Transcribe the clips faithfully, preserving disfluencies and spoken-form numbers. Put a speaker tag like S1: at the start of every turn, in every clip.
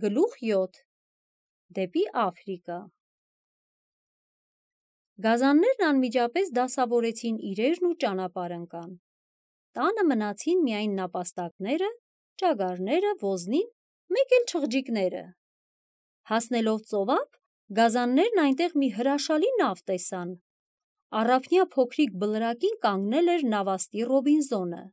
S1: Գլուխ յոթ. Դեպի Աֆրիկա։ Գազաններն անմիջապես դասավորեցին իրերն ու ճանապարհ ընկան։ Տանը մնացին միայն նապաստակները, ճագարները, ոզնին, մեկ էլ չղջիկները։ Հասնելով ծովափ, գազաններն այնտեղ մի հրաշալի նավ տեսան։ Առափնյա փոքրիկ բլրակին կանգնել էր նավաստի Ռոբինզոնը։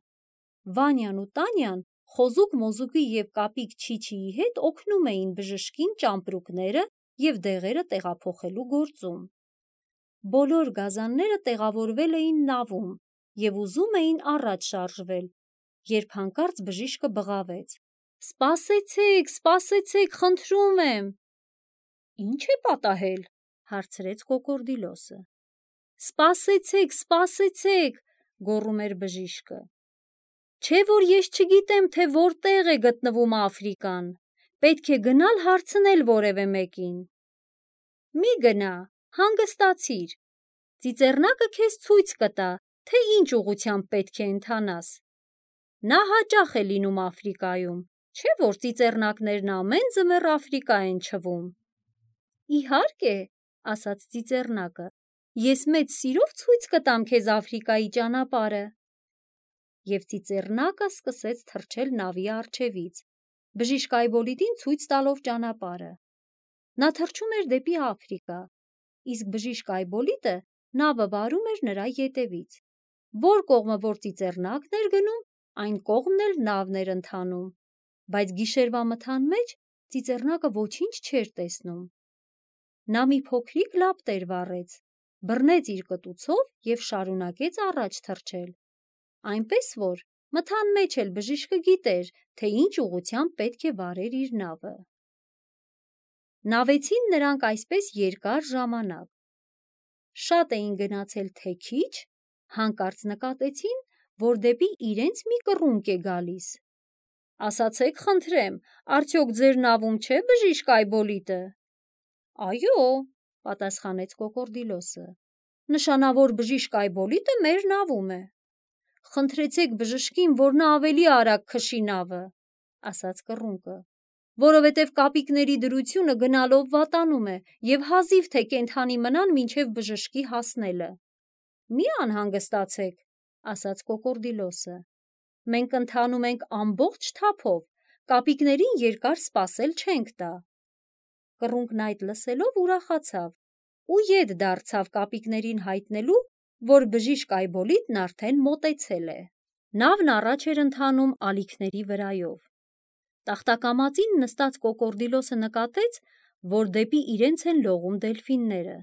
S1: Վանյան ու Տանյան խոզուկ մոզուկի և կապիկ Չիչիի հետ օգնում էին բժշկին ճամպրուկները և դեղերը տեղափոխելու գործում։ Բոլոր գազանները տեղավորվել էին նավում և ուզում էին առաջ շարժվել, երբ հանկարծ բժիշկը բղավեց. «Սպասեցեք, սպասեցեք, խնդրում եմ»։ «Ինչ է պատահել»։ հարցրեց կոկորդիլոսը։ «Սպասեցեք, սպասեցեք», գոռում էր բժիշկը։ «Չէ՞ որ ես չգիտեմ, թե որտեղ է գտնվում Աֆրիկան, պետք է գնալ հարցնել որևէ մեկին»։ «Մի գնա, հանգստացիր, ծիծեռնակը քեզ ցույց կտա, թե ինչ ուղղությամբ պետք է ընթանաս։ Նա հաճախ է լինում Աֆրիկայում, չէ՞ որ ծիծեռնակներն ամեն ձմեռ Աֆրիկա են չվում»։ «Իհարկե», ասաց ծիծեռնակը, «ես մեծ սիրով ցույց կտամ քեզ Աֆրիկայի ճանապարհը»։ Եվ ծիծեռնակը սկսեց թռչել նավի առջևից, բժիշկ Այբոլիտին ցույց տալով ճանապարհը։ Նա թռչում էր դեպի Աֆրիկա, իսկ բժիշկ Այբոլիտը նավը վարում էր նրա ետևից։ Որ կողմը որ ծիծեռնակն էր գնում, այն կողմն էլ նավն էր ընթանում, բայց գիշերվա մթան մեջ ծիծեռնակը ոչինչ չէր տեսնում։ Նա մի փոքրիկ լապտեր վառեց, բռնեց իր կտուցով և շարունակեց առաջ թռչել, այնպես որ մթան մեջ էլ բժիշկը գիտեր, թե ինչ ուղղությամբ պետք է վարեր իր նավը։ Նավեցին նրանք այսպես երկար ժամանակ։ Շատ էին գնացել թե քիչ, հանկարծ նկատեցին, որ դեպի իրենց մի կռունկ է գալիս։ «Ասացեք խնդրեմ, արդյոք ձեր նավում չէ բժիշկ Այբոլիտը»։ «Այո», պատասխանեց կոկորդիլոսը, «նշանավոր բժիշկ Այբոլիտը մեր նավում է»։ «Խնդրեցեք բժշկին, որ նա ավելի արագ քշի նավը», ասաց կռունկը, «որովհետև կապիկների դրությունը գնալով վատանում է և հազիվ թե կենդանի մնան մինչև բժշկի հասնելը»։ «Մի անհանգստացեք», ասաց կոկորդիլոսը, «մենք ընթանում ենք ամբողջ թափով, կապիկներին երկար սպասել չենք տա»։ Կռունկն այդ լսելով ուրախացավ ու ետ դարձավ կապիկներին հայտնելու, որ բժիշկ Այբոլիտն արդեն մոտեցել է։ Նավն առաջ էր ընթանում ալիքների վրայով։ Տախտակամածին նստած կոկորդիլոսը նկատեց, որ դեպի իրենց են լողում դելֆինները։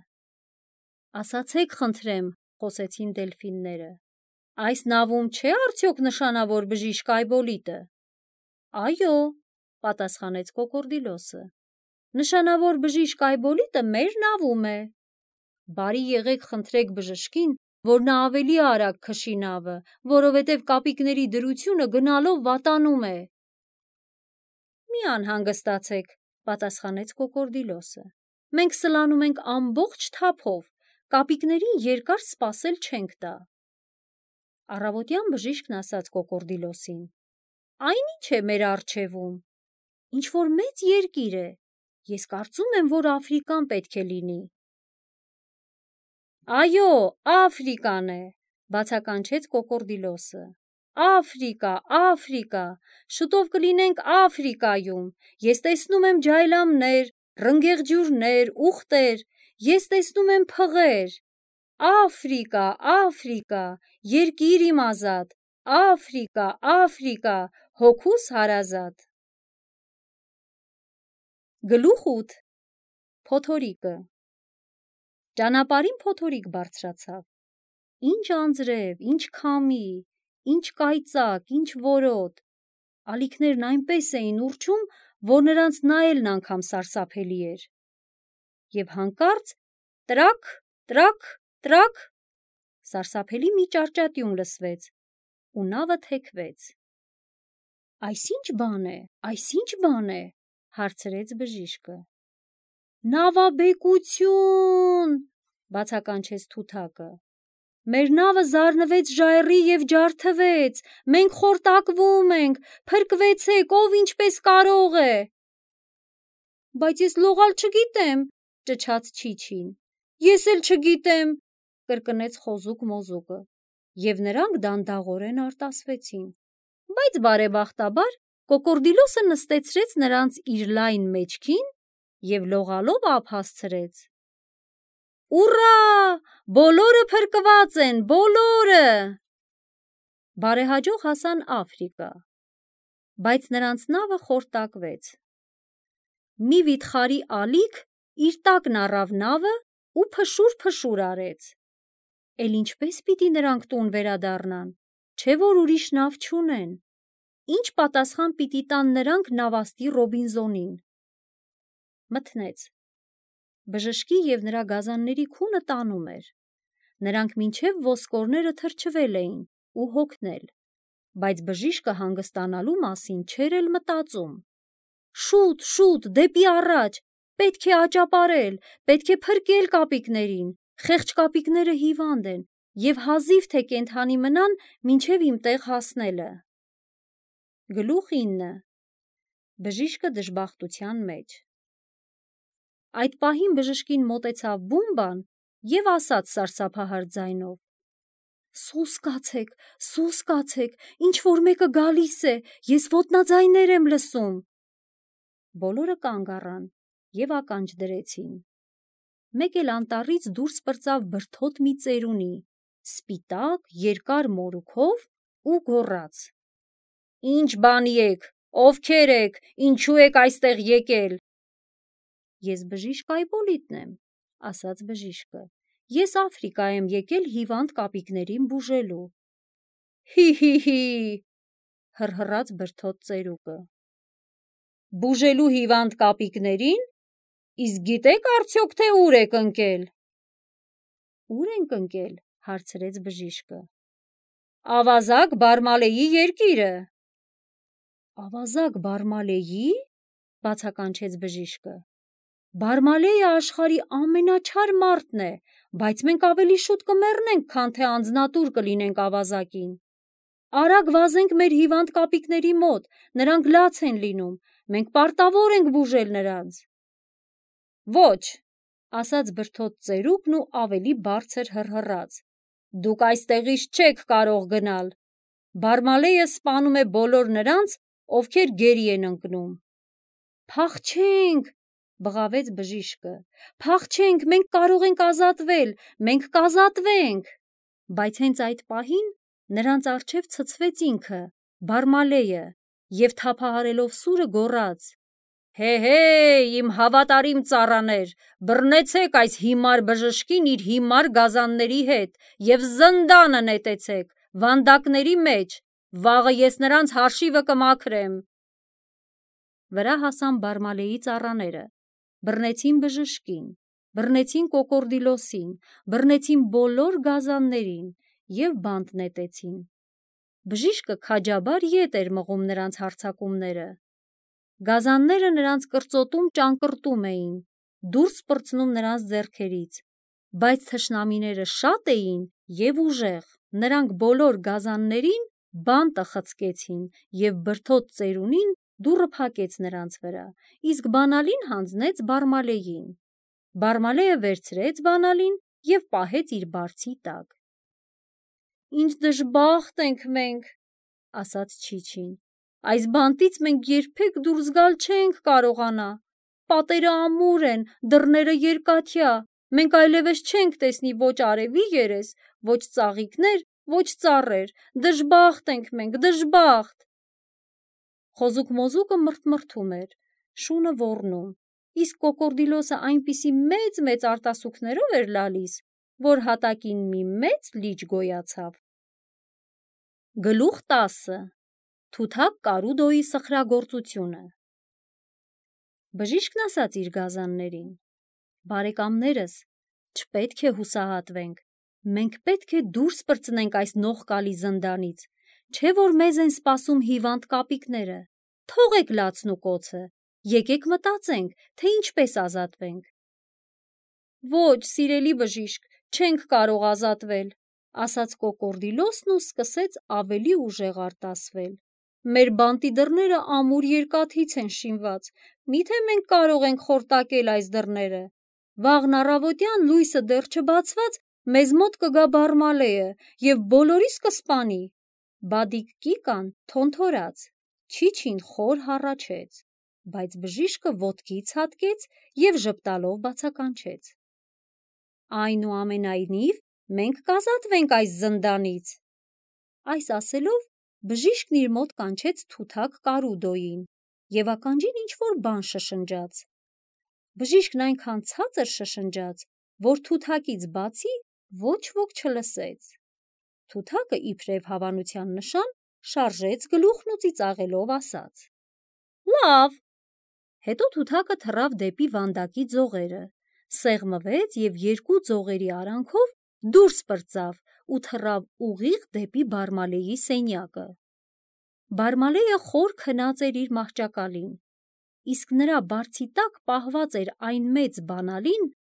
S1: «Ասացեք խնդրեմ», խոսեցին դելֆինները, «այս նավում չէ՞ արդյոք նշանավոր բժիշկ Այբոլիտը»։ «Այո», պատասխանեց կոկորդիլոսը, «նշանավոր բժիշկ Այբոլիտը մեր նավում է»։ «Բարի եղեք խնդրեք բժշկին, որ նա ավելի արագ քշի նավը, որովհետև կապիկների դրությունը գնալով վատանում է»։ «Մի անհանգստացեք», պատասխանեց կոկորդիլոսը, «մենք սլանում ենք ամբողջ թափով, կապիկներին երկար սպասել չենք տա»։ Առավոտյան բժիշկն ասաց կոկորդիլոսին. «Այն ի՞նչ է մեր առջևում։ Ինչ-որ մեծ երկիր է, ես կարծում եմ, որ Աֆրիկան պետք է լինի»։ «Այո, Աֆրիկան է», բացականչեց կոկորդիլոսը, «Աֆրիկա, Աֆրիկա, շուտով կլինենք Աֆրիկայում, ես տեսնում եմ ջայլամներ, ռնգեղջյուրներ, ուղտեր, ես տեսնում եմ փղեր։ Աֆրիկա, Աֆրիկա, երկիր իմ ազատ, Աֆրիկա, Աֆրիկա, հոգուս հարազատ»։ Գլուխ ութ. Փոթորիկը։ Ճանապարհին փոթորիկ բարձրացավ։ Ինչ անձրև, ինչ քամի, ինչ կայծակ, ինչ որոտ։ Ալիքներն այնպես էին ուռչում, որ նրանց նայելն անգամ սարսափելի էր։ Եվ հանկարծ տրաք, տրաք, տրաք, սարսափելի մի ճարճատյուն լսվեց, ու նավը թեքվեց։ «Այս ի՞նչ բան է, այս ի՞նչ բան է», հարցրեց բժիշկը։ «Նավաբեկությո՛ւն», բացականչեց թութակը։ «Մեր նավը զարնվեց ժայռի և ջարդվեց, մենք խորտակվում ենք, փրկվեցեք, ով ինչպես կարող է»։ Բայց ես լողալ չգիտեմ, ճչաց Չիչին։ Ես էլ չգիտեմ, կրկնեց խոզուկ մոզուկը, և նրանք դանդաղորեն արտասվեցին։ Բայց բարեբախտաբար կոկորդիլոսը նստեցրեց նրանց իր լայն մեջքին և լողալով ափ հասցրեց։ Ուռա! Բոլորը փրկված են, բոլորը! Բարեհաջող հասան Աֆրիկա, բայց նրանց նավը խորտակվեց։ Մի վիթխարի ալիք իր տակն առավ նավը ու փշուր-փշուր արեց։ Էլ ինչպես պիտի նրանք տուն վերադառնան, չէ որ ուրիշ նավ չունեն։ Ինչ պատասխան պիտի տան նրանք նավաստի Ռոբինզոնին։ Մթնեց։ Բժշկի և նրա գազանների քունը տանում էր։ Նրանք մինչև ոսկորները թրջվել էին ու հոգնել, բայց բժիշկը հանգստանալու մասին չէր էլ մտածում։ Շուտ, շուտ, դեպի առաջ, պետք է աճապարել, պետք է փրկել կապիկներին, խեղճ կապիկները հիվանդ են և հազիվ թե կենդանի մնան մինչև իմ տեղ հասնելը։ Գլուխ ինը։ Բժիշկը դժբախտության մեջ։ Այդ պահին բժշկին մոտեցավ Բումբան և ասաց սարսափահար ձայնով. Սուս կացեք, սուս կացեք, ինչ-որ մեկը գալիս է, ես ոտնաձայներ եմ լսում։ Բոլորը կանգ առան և ականջ դրեցին։ Մեկ էլ անտառից դուրս պրծավ բրդոտ մի ծերունի, սպիտակ, երկար մորուքով ու գոռաց. Ինչ բանի եք, ովքեր եք, ինչու եք այստեղ եկել։ Ես բժիշկ Այբոլիտն եմ, ասաց բժիշկը, ես Աֆրիկա եմ եկել հիվանդ կապիկներին բուժելու։ Հի՛-հի՛-հի՛, հռհռաց բրդոտ ծերուկը։ Բուժելու հիվանդ կապիկներին, իսկ գիտեք արդյոք թե ուր եք ընկել։ Ուր ենք ընկել, հարցրեց բժիշկը։ Ավազակ Բարմալեի երկիրը։ Ավազակ Բարմալեի, բացականչեց բժիշկը։ Բարմալեյը աշխարհի ամենաչար մարդն է, բայց մենք ավելի շուտ կմեռնենք, քան թե անձնատուր կլինենք ավազակին։ Արագ վազենք մեր հիվանդ կապիկների մոտ, նրանք լաց են լինում, մենք պարտավոր ենք բուժել նրանց։ Ոչ, ասաց բրդոտ ծերուկն ու ավելի բարձր հռհռաց, դուք այստեղից չեք կարող գնալ։ Բարմալեյը սպանում է բոլոր նրանց, ովքեր գերի են ընկնում։ Փախչենք, բղավեց բժիշկը, փախչենք, մենք կարող ենք ազատվել, մենք կազատվենք։ Բայց հենց այդ պահին նրանց առջև ցցվեց ինքը, Բարմալեյը, և թափահարելով սուրը գոռաց. Հե՛, իմ հավատարիմ ծառաներ, բռնեցեք այս հիմար բժշկին իր հիմար գազանների հետ և զնդանը նետեցեք, վանդակների մեջ, վաղը ես նրանց հաշիվը կմաքրեմ։ Վրա հասան Բարմալեի ծառաները, բռնեցին բժշկին, բռնեցին կոկորդիլոսին, բռնեցին բոլոր գազաններին և բանտ նետեցին։ Բժիշկը քաջաբար ետ էր մղում նրանց հարձակումները։ Գազանները նրանց կրծոտում ճանկռտում էին, դուրս պրծնում նրանց ձեռքերից, բայց թշնամիները շատ էին և ուժեղ, նրանք բոլոր գազաններին բանտը խցկեցին և բրդոտ ծերունին դուռը փակեց նրանց վրա, իսկ բանալին հանձնեց Բարմալեյին։ Բարմալեյը վերցրեց բանալին և պահեց իր բարձի տակ։ Ինչ դժբախտ ենք մենք, ասաց Չիչին, այս բանտից մենք երբեք դուրս գալ չենք կարողանա, պատերը ամուր են, դռները երկաթյա, մենք այլևս չենք տեսնի ոչ արևի երես, ոչ ծաղիկներ, ոչ ծառեր, դժբախտ ենք մենք, դժբախտ։ Խոզուկ մոզուկը մռթմռթում էր, շունը ոռնում, իսկ կոկորդիլոսը այնպիսի մեծ-մեծ արտասուքներով էր լալիս, որ հատակին մի մեծ լիճ գոյացավ։ Գլուխ տասը. Թութակ Կարուդոյի սխրագործությունը։ Բժիշկն ասաց իր գազաններին. Բարեկամներս, չպետք է հուսահատվենք, մենք պետք է դուրս պրծնենք այս նողկալի զնդանից, չէ որ մեզ են սպասում հիվանդ կապիկները, թողեք լացն ու կոցը, եկեք մտածենք, թե ինչպես ազատվենք։ Ոչ, սիրելի բժիշկ, չենք կարող ազատվել, ասաց կոկորդիլոսն ու սկսեց ավելի ուժեղ արտասվել։ մեր բանտի դռները ամուր երկաթից են շինված, միթե մենք կարող ենք խորտակել այս դռները, վաղն առավոտյան լույսը դեռ չբացված մեզ մոտ կգա Բարմալեյը և բոլորիս կսպանի։ Բադիկ Կիկան թոնթորաց, Չիչին խոր հառաչեց, բայց բժիշկը ոտքից հատկեց և ժպտալով բացականչեց. Այնուամենայնիվ մենք կազատվենք այս զնդանից։ Այս ասելով բժիշկն իր մոտ կանչեց թութակ Կարուդոյին և ականջին ինչ-որ բան շշնջաց։ Բժիշկն այնքան ցածր շշնջաց, որ թութակից բացի ոչ ոք չլսեց։ Թութակը իբրև հավանության նշան շարժեց գլուխն ու ծիծաղելով ասաց. Լավ։ Հետո թութակը թռավ դեպի վանդակի ձողերը, սեղմվեց և երկու ձողերի արանքով դուրս պրծավ ու թռավ ուղիղ դեպի Բարմալեյի սենյակը։ Բարմալեյը խոր քնած էր իր մահճակալին, իսկ նրա բարձի տակ պահված էր այն մեծ բանալին,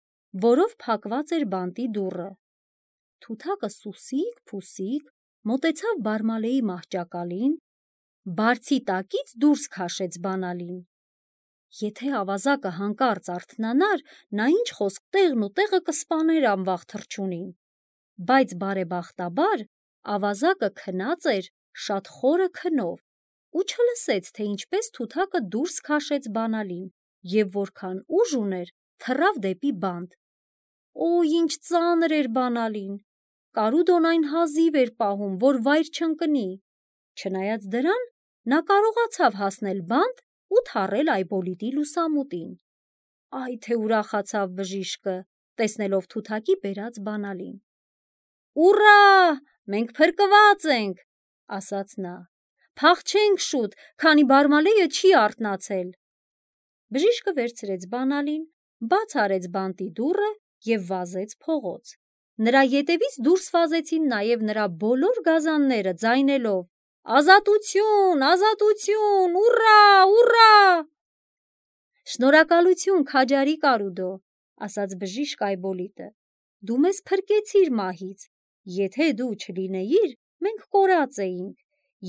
S1: որով փակված էր բանտի դուռը։ Թութակը սուսիկ-փուսիկ մոտեցավ Բարմալեյի մահճակալին, բարձի տակից դուրս քաշեց բանալին։ Եթե ավազակը հանկարծ արթնանար, նա ինչ խոսք տեղն ու տեղը կսպաներ անվախ թռչունին, բայց բարեբախտաբար ավազակը քնած էր շատ խորը քնով ու չլսեց, թե ինչպես թութակը դուրս քաշեց բանալին և որքան ուժ ուներ, թռավ դեպի բանտ։ Օ, ինչ ծանր էր բանալին, Կարուդոն այն հազիվ էր պահում, որ վայր չընկնի, չնայած դրան նա կարողացավ հասնել բանտ ու թռել Այբոլիտի լուսամուտին։ Այ թե ուրախացավ բժիշկը, տեսնելով թութակի բերած բանալին։ Ուռա, մենք փրկված ենք, ասաց նա, փախչենք շուտ, քանի Բարմալեյը չի արթնացել։ Բժիշկը վերցրեց բանալին, բաց արեց բանտի դուռը և վազեց փողոց։ Նրա ետևից դուրս վազեցին նաև նրա բոլոր գազանները, ձայնելով. Ազատություն, ազատություն, ուռա, ուռա։ Շնորհակալություն, քաջարի Կարուդո, ասաց բժիշկ Այբոլիտը, դու մեզ փրկեցիր մահից, եթե դու չլինեիր, մենք կորած էինք,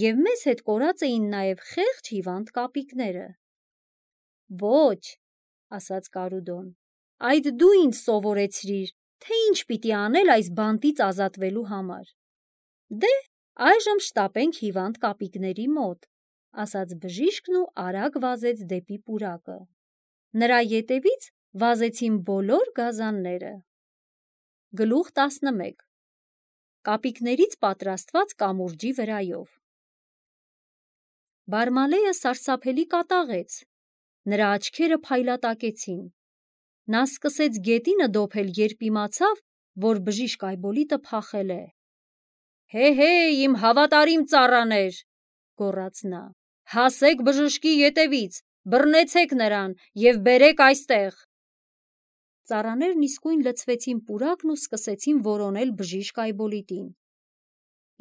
S1: և մեզ հետ կորած էին նաև խեղճ հիվանդ կապիկները։ Ոչ, ասաց Կարուդոն, այդ դու ինձ սովորեցրիր, թե ինչ պիտի անել այս բանտից ազատվելու համար։ Դե, այժմ շտապենք հիվանդ կապիկների մոտ, ասաց բժիշկն ու արագ վազեց դեպի պուրակը։ Նրա ետևից վազեցին բոլոր գազանները։ Գլուխ տասնմեկ. Կապիկներից պատրաստված կամուրջի վրայով։ Բարմալեյը սարսափելի կատաղեց, նրա աչքերը փայլատակեցին։ Նա սկսեց գետինը դոփել, երբ իմացավ, որ բժիշկ Այբոլիտը փախել է։ Հե՛հե՛, իմ հավատարիմ ծառաներ, գոռաց նա, հասեք բժշկի ետևից, բռնեցեք նրան և բերեք այստեղ։ Ծառաներն իսկույն լցվեցին պուրակն ու սկսեցին որոնել բժիշկ Այբոլիտին։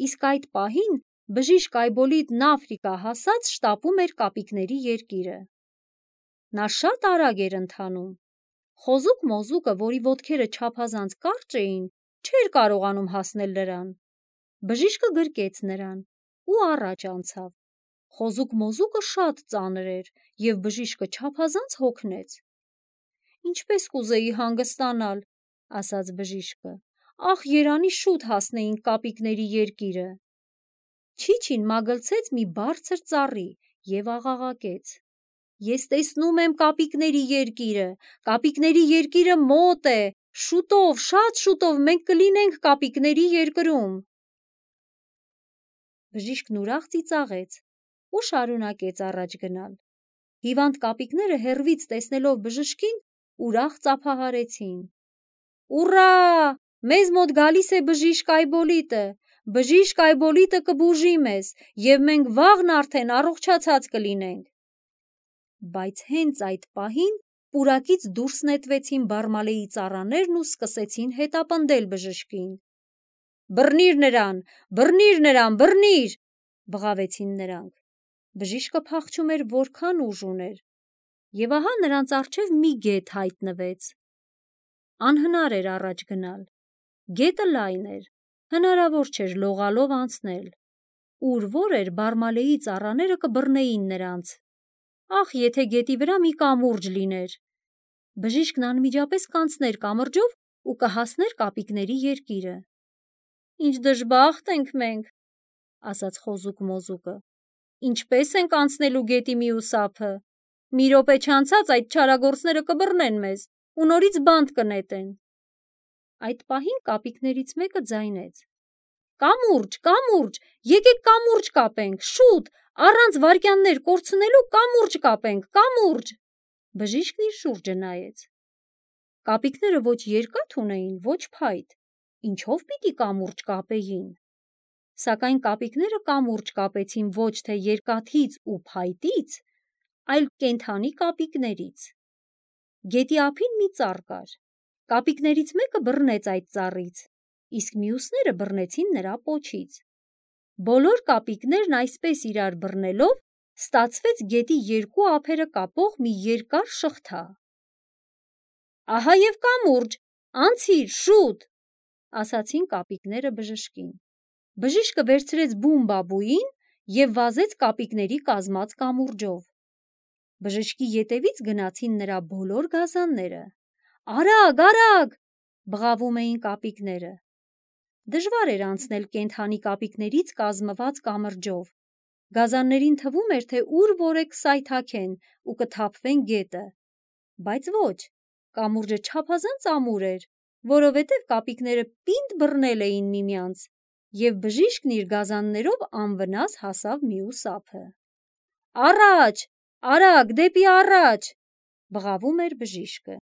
S1: Իսկ այդ պահին բժիշկ Այբոլիտն Աֆրիկա հասած շտապում էր կապիկների երկիրը։ Նա շատ արագ էր ընթանում։ Խոզուկ-մոզուկը, որի ոտքերը չափազանց կարճ էին, չէր կարողանում հասնել նրան։ Բժիշկը գրկեց նրան ու առաջ անցավ։ Խոզուկ-մոզուկը շատ ծանր էր, և բժիշկը չափազանց հոգնեց։ Ինչպես կուզեի հանգստանալ, ասաց բժիշկը, ախ, երանի շուտ հասնեինք կապիկների երկիրը։ Չիչին մագլցեց մի բարձր ծառի և աղաղակեց. Ես տեսնում եմ կապիկների երկիրը, կապիկների երկիրը մոտ է, շուտով, շատ շուտով մենք կլինենք կապիկների երկրում։ Բժիշկն ուրախ ծիծաղեց ու շարունակեց առաջ գնալ։ Հիվանդ կապիկները հեռվից տեսնելով բժշկին, ուրախ ծափահարեցին։ Ուռա, մեզ մոտ գալիս է բժիշկ Այբոլիտը, բժիշկ Այբոլիտը կբուժի մեզ, և մենք վաղն արդեն առողջացած կլինենք։ Բայց հենց այդ պահին պուրակից դուրս նետվեցին Բարմալեյի ծառաներն ու սկսեցին հետապնդել բժշկին։ Բռնիր նրան, բռնիր նրան, բռնիր, բղավեցին նրանք։ Բժիշկը փախչում էր որքան ուժ ուներ, և ահա նրանց առջև մի գետ հայտնվեց։ Անհնար էր առաջ գնալ։ Գետը լայն էր, հնարավոր չէր լողալով անցնել։ ուր որ էր Բարմալեի ծառաները կբռնեին նրանց։ Ախ, եթե գետի վրա մի կամուրջ լիներ։ Բժիշկն անմիջապես կանցներ կամրջով ու կհասներ կապիկների երկիրը։ Ինչ դժբախտ ենք մենք, ասաց խոզուկ-մոզուկը։ Ինչպես ենք անցնելու գետի մյուս ափը։ Մի րոպե չանցած այդ չարագործները կբռնեն մեզ ու նորից բանտ կնետեն։ Այդ պահին կապիկներից մեկը ձայնեց. Կամուրջ, կամուրջ, եկեք կամուրջ կապենք, շուտ, առանց վայրկյաններ կորցնելու կամուրջ կապենք, կամուրջ։ Բժիշկն իր շուրջը նայեց։ Կապիկները ոչ երկաթ ունեին, ոչ փայտ, ինչով պիտի կամուրջ կապեին։ Սակայն կապիկները կամուրջ կապեցին ոչ թե երկաթից ու փայտից, այլ կենդանի կապիկներից։ Գետի ափին մի ծառ կար։ Կապիկներից մեկը բռնեց այդ ծառից, իսկ մյուսները բռնեցին նրա պոչից։ Բոլոր կապիկներն այսպես իրար բռնելով ստացվեց գետի երկու ափերը կապող մի երկար շղթա։ Ահա և կամուրջ, անցիր, շուտ, ասացին կապիկները բժշկին։ Բժիշկը վերցրեց բում-բաբուին և վազեց կապիկների կազմած կամուրջով։ Բժշկի ետևից գնացին նրա բոլոր գազանները։ Արագ, արագ, բղավում էին կապիկները։ Դժվար էր անցնել կենդանի կապիկներից կազմված կամրջով։ Գազաններին թվում էր, թե ուր որ է կսայթաքեն ու կթափվեն գետը։ Բայց ոչ, կամուրջը չափազանց ամուր էր, որովհետև կապիկները պինդ բռնել էին միմյանց, և բժիշկն իր գազաններով անվնաս հասավ մյուս ափը։ Առաջ, արագ, դեպի առաջ, բղավում էր բժիշկը։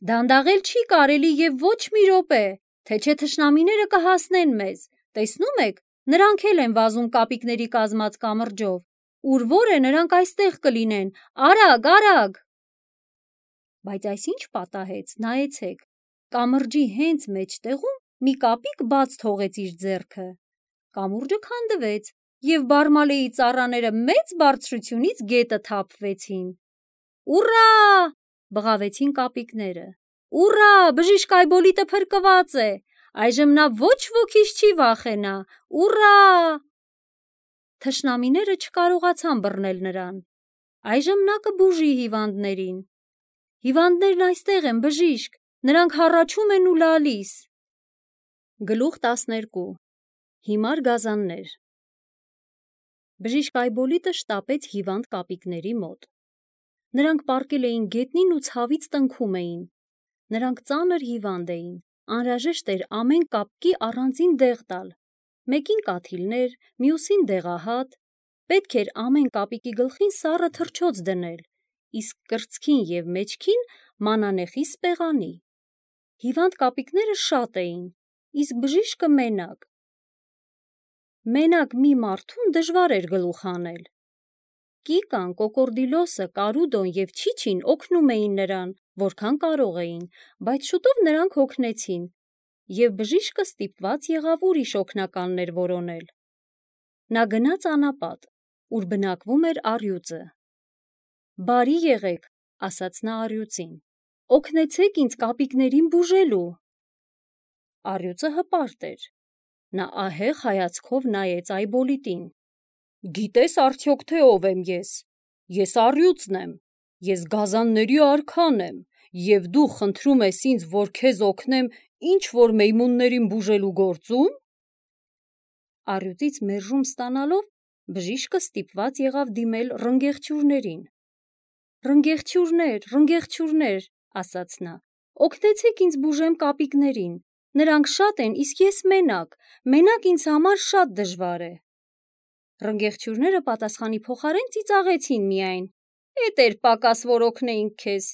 S1: Դանդաղել չի կարելի և ոչ մի րոպե, թե չէ թշնամիները կհասնեն մեզ, տեսնում եք, նրանք էլ են վազում կապիկների կազմած կամրջով, ուր որ է նրանք այստեղ կլինեն, արագ, արագ։ Բայց այս ինչ պատահեց, նայեցեք, կամրջի հենց մեջտեղում մի կապիկ բաց թողեց իր ձեռքը։ Կամուրջը քանդվեց, և Բարմալեի ծառաները մեծ բարձրությունից գետը թափվեցին։ Ուռա, բղավեցին կապիկները։ Ուռա, բժիշկ Այբոլիտը փրկված է, այժմ նա ոչ ոքից չի վախենա, ուռա։ Թշնամիները չկարողացան բռնել նրան։ Այժմ նա կբուժի հիվանդներին։ Հիվանդներն այստեղ են, բժիշկ, նրանք հառաչում են ու լալիս։ Գլուխ տասներկու։ Հիմար գազաններ։ Բժիշկ Այբոլիտը շտապեց հիվանդ կապիկների մոտ։ Նրանք պառկել էին գետնին ու ցավից տնքում էին։ Նրանք ծանր հիվանդ էին, անհրաժեշտ էր ամեն կապկի առանձին դեղ տալ, մեկին կաթիլներ, մյուսին դեղահատ, պետք էր ամեն կապիկի գլխին սառը թռչոց դնել, իսկ կրծքին և մեջքին մանանեխի սպեղանի։ Հիվանդ կապիկները շատ էին, իսկ բժիշկը մենակ։ Մենակ մի մարդուն դժվար էր գլուխ հանել։ Կիկան, Կոկորդիլոսը, Կարուդոն և Չիչին օգնում էին նրան, որքան կարող էին, բայց շուտով նրանք հոգնեցին, և բժիշկը ստիպված եղավ ուրիշ օգնականներ որոնել։ Նա գնաց անապատ, ուր բնակվում էր առյուծը։ Բարի եղեք, ասաց նա առյուծին, օգնեցեք ինձ կապիկներին բուժելու։ Առյուծը հպարտ էր։ Նա ահեղ հայացքով նայեց Այբոլիտին։ Գիտես արդյոք, թե ով եմ ես։ Ես առյուծն եմ, ես գազանների արքան եմ, և դու խնդրում ես ինձ, որ քեզ օգնեմ ինչ-որ մեյմուններին բուժելու գործում։ Առյուծից մերժում ստանալով բժիշկը ստիպված եղավ դիմել ռնգեղցյուրներին։ Ռնգեղցյուրներ, ռնգեղցյուրներ, ասաց նա, օգնեցեք ինձ բուժեմ կապիկներին։ Նրանք շատ են, իսկ ես մենակ, մենակ ինձ համար շատ դժվար է։ Ռնգեղցյուրները պատասխանի փոխարեն ծիծաղեցին միայն։ Էդ էր պակաս, որ օգնեինք քեզ։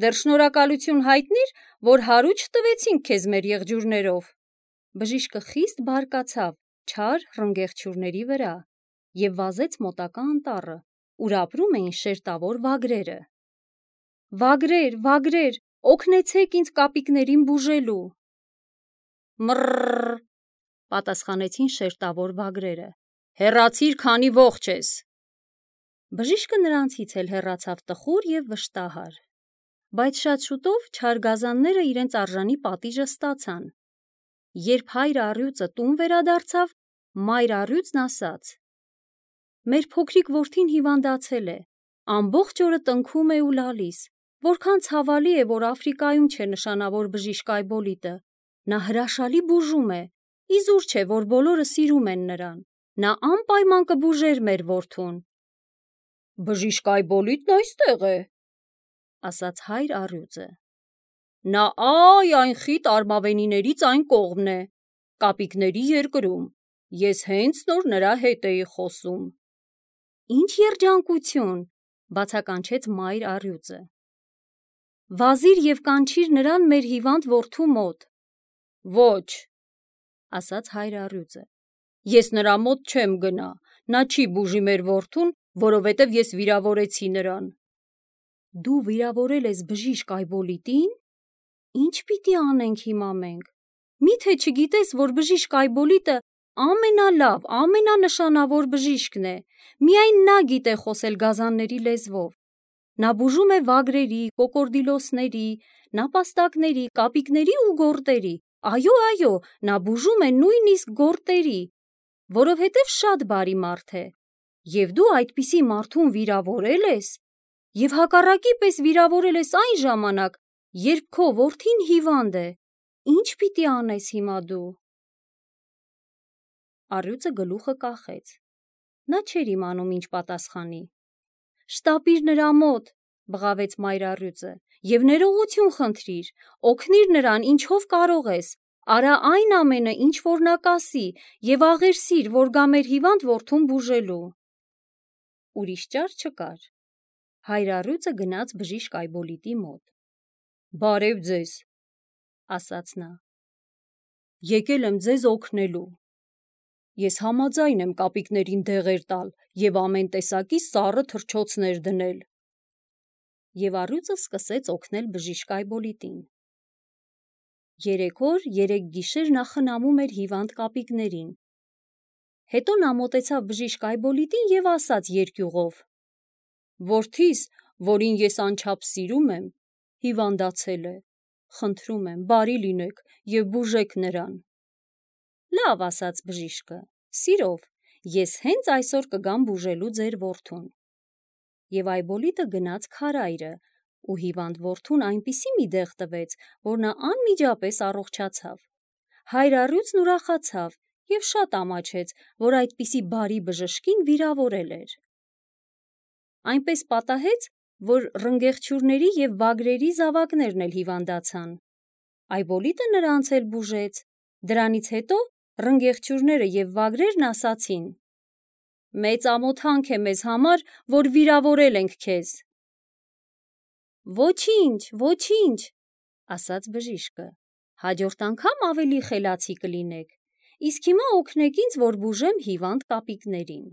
S1: Դեռ շնորհակալություն հայտնիր, որ հարու չտվեցինք քեզ մեր եղջյուրներով։ Բժիշկը խիստ բարկացավ չար ռնգեղցյուրների վրա և վազեց մոտակա անտառը, ուր ապրում էին շերտավոր վագրերը։ Վագրեր, վագրեր, օգնեցեք ինձ կապիկներին բուժելու։ Մռռռ, պատասխանեցին շերտավոր վագրերը։ Հեռացիր, քանի ողջ ես։ Բժիշկը նրանցից էլ հեռացավ տխուր և վշտահար։ Բայց շատ շուտով չար գազանները իրենց արժանի պատիժը ստացան։ Երբ հայր առյուծը տուն վերադարձավ, մայր առյուծն ասաց. մեր փոքրիկ որդին հիվանդացել է, ամբողջ օրը տնքում է ու լալիս, որքան ցավալի է, որ Աֆրիկայում չէ նշանավոր բժիշկ Այբոլիտը, նա հրաշալի բուժում է, իզուր չէ, որ բոլորը սիրում են նրան, նա անպայման կբուժեր մեր որդուն։ Բժիշկ Այբոլիտն այստեղ է, ասաց հայր առյուծը։ Նա այ այն խիտ արմավենիներից այն կողմն է, կապիկների երկրում, ես հենց նոր նրա հետ էի խոսում։ Ինչ երջանկություն, բացականչեց մայր առյուծը։ Վազիր և կանչիր նրան մեր հիվանդ որդու մոտ։ Ոչ, ասաց հայր առյուծը, ես նրա մոտ չեմ գնա, նա չի բուժի մեր որդուն, որովհետև ես վիրավորեցի նրան։ Դու վիրավորել ես բժիշկ Այբոլիտին։ Ինչ պիտի անենք հիմա մենք։ Միթե չգիտես, որ բժիշկ Այբոլիտը ամենալավ, ամենանշանավոր բժիշկն է, միայն նա գիտե խոսել գազանների լեզվով։ Նա բուժում է վագրերի, կոկորդիլոսների, նապաստակների, կապիկների ու գորտերի, այո, այո, նա բուժում է նույնիսկ գորտերի, որովհետև շատ բարի մարդ է, և դու այդպիսի մարդուն վիրավորել ես, և հակառակի պես վիրավորել ես այն ժամանակ, երբ քո որդին հիվանդ է, ինչ պիտի անես հիմա դու։ Առյուծը գլուխը կախեց, նա չէր իմանում ինչ պատասխանի։ Շտապիր նրա մոտ, բղավեց մայր առյուծը, և ներողություն խնդրիր, օգնիր նրան ինչով կարող ես, արա այն ամենը, ինչ որ նա կասի, և աղերսիր, որ գա մեր հիվանդ որդուն բուժելու։ Ուրիշ ճար չկար։ Հայր առյուծը գնաց բժիշկ Այբոլիտի մոտ։ Բարև ձեզ, ասաց նա։ Եկել եմ ձեզ օգնելու։ Ես համաձայն եմ կապիկներին դեղեր տալ և ամեն տեսակի սառը թռչոցներ դնել։ Եվ առյուծը սկսեց օգնել բժիշկ Այբոլիտին։ Երեք օր, երեք գիշեր նա խնամում էր հիվանդ կապիկներին։ Հետո նա մոտեցավ բժիշկ Այբոլիտին և ասաց երկյուղով. Որդիս, որին ես անչափ սիրում եմ, հիվանդացել է, խնդրում եմ, բարի լինեք և բուժեք նրան։ Լավ, ասաց բժիշկը, սիրով, ես հենց այսօր կգամ բուժելու ձեր որդուն։ Եվ Այբոլիտը գնաց քարայրը, ու հիվանդ որդուն այնպիսի մի դեղ տվեց, որ նա անմիջապես առողջացավ։ Հայր առյուծն ուրախացավ և շատ ամաչեց, որ այդպիսի բարի բժշկին վիրավորել էր։ Այնպես պատահեց, որ ռնգեղցյուրների և վագրերի զավակներն էլ հիվանդացան։ Այբոլիտը նրանց էլ բուժեց։ Դրանից հետո ռնգեղցյուրները և վագրերն ասացին. Մեծ ամոթանք է մեզ համար, որ վիրավորել ենք քեզ։ Ոչինչ, ոչինչ, ասաց բժիշկը, հաջորդ անգամ ավելի խելացի կլինեք, իսկ հիմա օգնեք ինձ, որ բուժեմ հիվանդ կապիկներին։